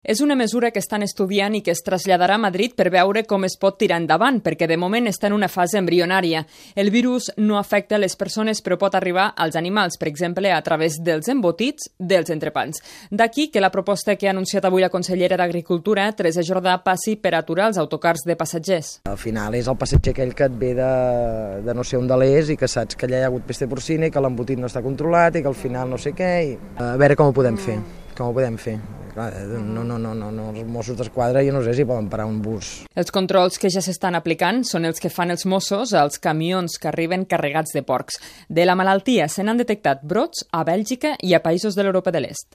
És una mesura que estan estudiant i que es traslladarà a Madrid per veure com es pot tirar endavant, perquè de moment està en una fase embrionària. El virus no afecta les persones, però pot arribar als animals, per exemple, a través dels embotits dels entrepans. D'aquí que la proposta que ha anunciat avui la consellera d'Agricultura, Teresa Jordà, passi per aturar els autocars de passatgers. Al final és el passatger aquell que et ve de no sé on de l'és i que saps que allà hi ha hagut pesta porcina i que l'embotit no està controlat i que al final no sé què. A veure com ho podem fer. Clar, els Mossos d'Esquadra jo no sé si poden parar un bus. Els controls que ja s'estan aplicant són els que fan els Mossos als camions que arriben carregats de porcs. De la malaltia se n'han detectat brots a Bèlgica i a països de l'Europa de l'Est.